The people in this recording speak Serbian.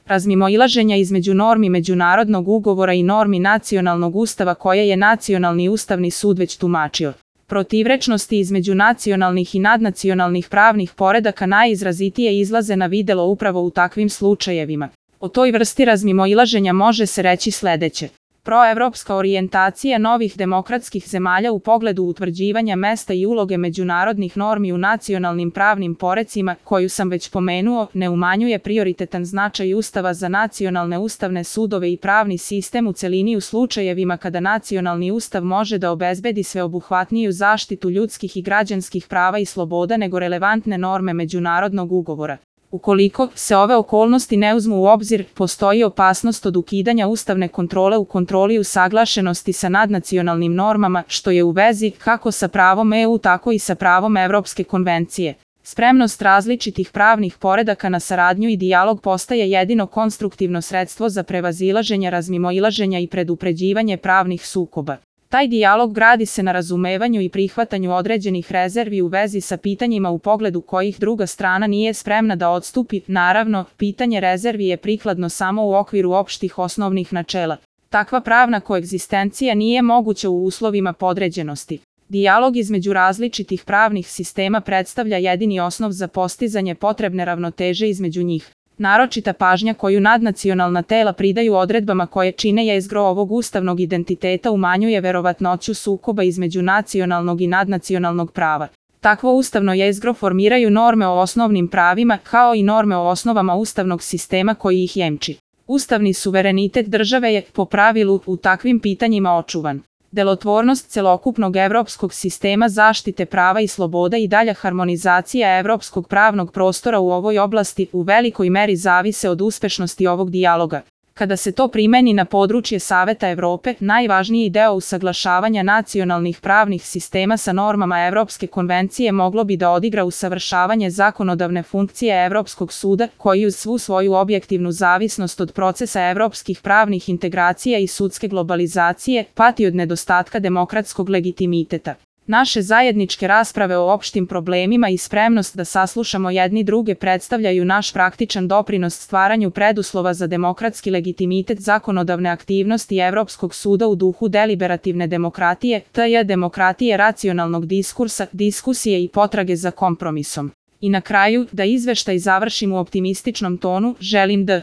razmimoilaženja između normi međunarodnog ugovora i normi nacionalnog ustava koje je Nacionalni ustavni sud već tumačio. Protivrečnosti između nacionalnih i nadnacionalnih pravnih poredaka najizrazitije izlaze na videlo upravo u takvim slučajevima. O toj vrsti razmimoilaženja može se reći sledeće. Proevropska orijentacija novih demokratskih zemalja u pogledu utvrđivanja mesta i uloge međunarodnih normi u nacionalnim pravnim porecima, koju sam već pomenuo, ne umanjuje prioritetan značaj Ustava za nacionalne ustavne sudove i pravni sistem u celini u slučajevima kada nacionalni ustav može da obezbedi sveobuhvatniju zaštitu ljudskih i građanskih prava i sloboda nego relevantne norme međunarodnog ugovora. Ukoliko se ove okolnosti ne uzmu u obzir, postoji opasnost od ukidanja ustavne kontrole u kontroli usaglašenosti sa nadnacionalnim normama, što je u vezi kako sa pravom EU tako i sa pravom Evropske konvencije. Spremnost različitih pravnih poredaka na saradnju i dijalog postaje jedino konstruktivno sredstvo za prevazilaženje razmimoilaženja i predupređivanje pravnih sukoba. Taj dijalog gradi se na razumevanju i prihvatanju određenih rezervi u vezi sa pitanjima u pogledu kojih druga strana nije spremna da odstupi. Naravno, pitanje rezervi je prikladno samo u okviru opštih osnovnih načela. Takva pravna koegzistencija nije moguća u uslovima podređenosti. Dijalog između različitih pravnih sistema predstavlja jedini osnov za postizanje potrebne ravnoteže između njih. Naročita pažnja koju nadnacionalna tela pridaju odredbama koje čine jezgro ovog ustavnog identiteta umanjuje verovatnoću sukoba između nacionalnog i nadnacionalnog prava. Takvo ustavno jezgro formiraju norme o osnovnim pravima kao i norme o osnovama ustavnog sistema koji ih jemči. Ustavni suverenitet države je, po pravilu, u takvim pitanjima očuvan. Delotvornost celokupnog evropskog sistema zaštite prava i sloboda i dalja harmonizacija evropskog pravnog prostora u ovoj oblasti u velikoj meri zavise od uspešnosti ovog dijaloga. Kada se to primeni na područje Saveta Evrope, najvažniji deo usaglašavanja nacionalnih pravnih sistema sa normama Evropske konvencije moglo bi da odigra usavršavanje zakonodavne funkcije Evropskog suda, koji uz svu svoju objektivnu zavisnost od procesa evropskih pravnih integracija i sudske globalizacije, pati od nedostatka demokratskog legitimiteta. Naše zajedničke rasprave o opštim problemima i spremnost da saslušamo jedni druge predstavljaju naš praktičan doprinos stvaranju preduslova za demokratski legitimitet zakonodavne aktivnosti Evropskog suda u duhu deliberativne demokratije, tj. demokratije racionalnog diskursa, diskusije i potrage za kompromisom. I na kraju, da izveštaj završim u optimističnom tonu, želim da